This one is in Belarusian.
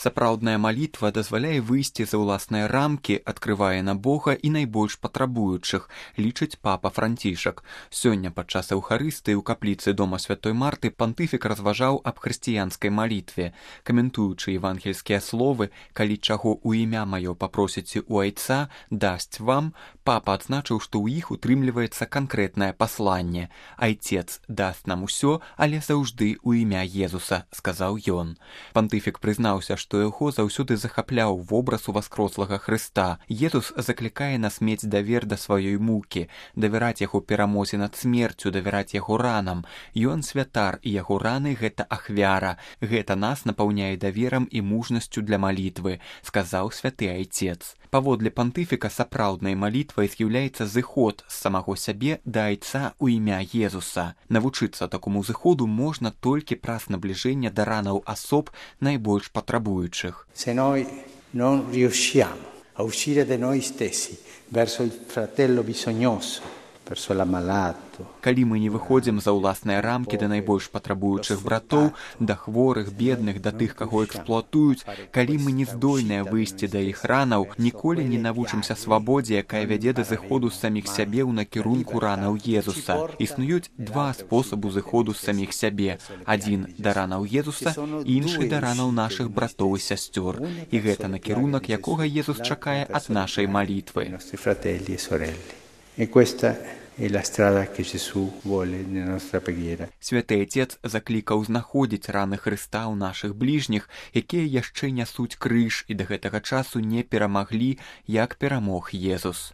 Сапраўдная малітва дазваляе выйсці за ўласныя рамкі, адкрывае на Бога і найбольш патрабуючых, лічыць папа Францішак. Сёння падчас эўхарыстыі ў капліцы дома святой Марты пантыфік разважаў аб хрысціянскай малітве. Каментуючы евангельскія словы «Калі чаго ў імя маё папросіце у Айца, дасць вам», папа адзначыў, што ў іх утрымліваецца канкрэтнае пасланне. «Айцец даст нам усё, але заўжды ў імя Езуса», сказаў ён. Пантыфік прызнаўся, што яго заўсёды захапляў вобраз уваскрослага Хрыста. Езус заклікае нас мець давер да сваёй мукі, давяраць яго перамозе над смерцю, давяраць яго ранам. Ён святар, і яго раны — гэта ахвяра. Гэта нас напаўняе даверам і мужнасцю для малітвы, сказаў святы Айцец. Паводле пантыфіка сапраўднай малітвай з'яўляецца зыход з самаго сябе да Айца ў імя Езуса. Навучыцца такому зыходу можна толькі праз набліжэнне да ранаў асоб найбольш патрабуючых. Se noi non riusciamo a uscire da noi stessi verso il fratello bisognoso, verso l'ammalato. Калі мы не выходзім за ўласныя рамкі да найбольш патрабуючых братоў, да хворых, бедных, да тых, каго эксплуатуюць, калі мы не здольныя выйсці да іх ранаў, ніколі не навучымся свабодзе, якая вядзе да зыходу з саміх сябе ў накірунку ранаў Езуса. Існуюць два спосабу зыходу з саміх сябе. Адзін да ранаў Езуса, іншы да ранаў нашых братоў і сясцёр. І гэта накірунак, якога Езус чакае ад нашай малітвы. E questa è la strada che Gesù vuole nella nostra preghiera. Святы Айцец заклікаў знаходзіць раны Хрыста ў нашых бліжніх, якія яшчэ нясуць крыж і да гэтага часу не перамаглі, як перамог Езус.